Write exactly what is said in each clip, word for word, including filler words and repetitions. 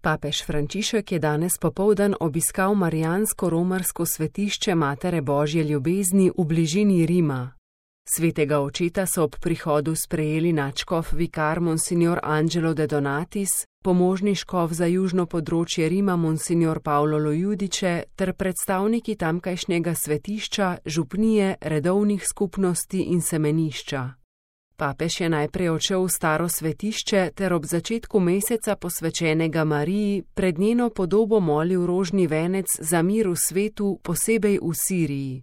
Papež Frančišek je danes popoldan obiskal marijansko-romarsko svetišče Matere Božje ljubezni v bližini Rima. Svetega očeta so ob prihodu sprejeli nadškof vikar Monsignor Angelo de Donatis, pomožni škof za južno področje Rima Monsignor Paolo Lojudiče ter predstavniki tamkajšnjega svetišča, župnije, redovnih skupnosti in semenišča. Papež je najprej odšel v staro svetišče ter ob začetku meseca posvečenega Mariji pred njeno podobo molil rožni venec za mir v svetu, posebej v Siriji.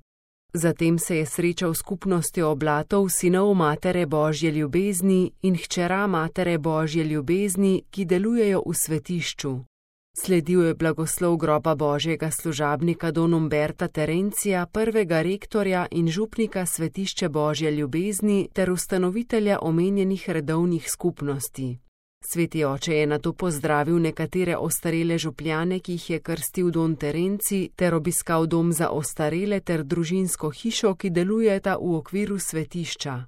Zatem se je srečal s skupnostjo oblatov sinov Matere Božje ljubezni in hčera Matere Božje ljubezni, ki delujejo v svetišču. Sledil je blagoslov groba Božjega služabnika Don Umberta Terencija, prvega rektorja in župnika svetišče Božje ljubezni ter ustanovitelja omenjenih redovnih skupnosti. Sveti oče je nato pozdravil nekatere ostarele župljane, ki jih je krstil Don Terenci, ter obiskal dom za ostarele ter družinsko hišo, ki delujeta v okviru svetišča.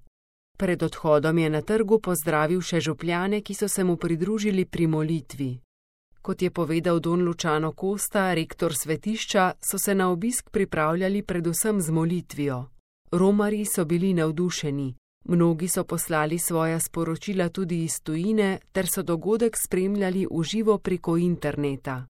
Pred odhodom je na trgu pozdravil še župljane, ki so se mu pridružili pri molitvi. Kot je povedal Don Luciano Costa, rektor svetišča, so se na obisk pripravljali predvsem z molitvijo. Romarji so bili navdušeni. Mnogi so poslali svoja sporočila tudi iz tujine, ter so dogodek spremljali v živo preko interneta.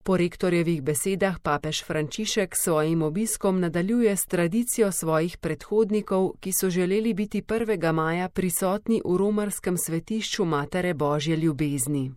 Po rektorjevih besedah papež Frančišek s svojim obiskom nadaljuje s tradicijo svojih predhodnikov, ki so želeli biti prvega maja prisotni v romarskem svetišču Matere Božje ljubezni.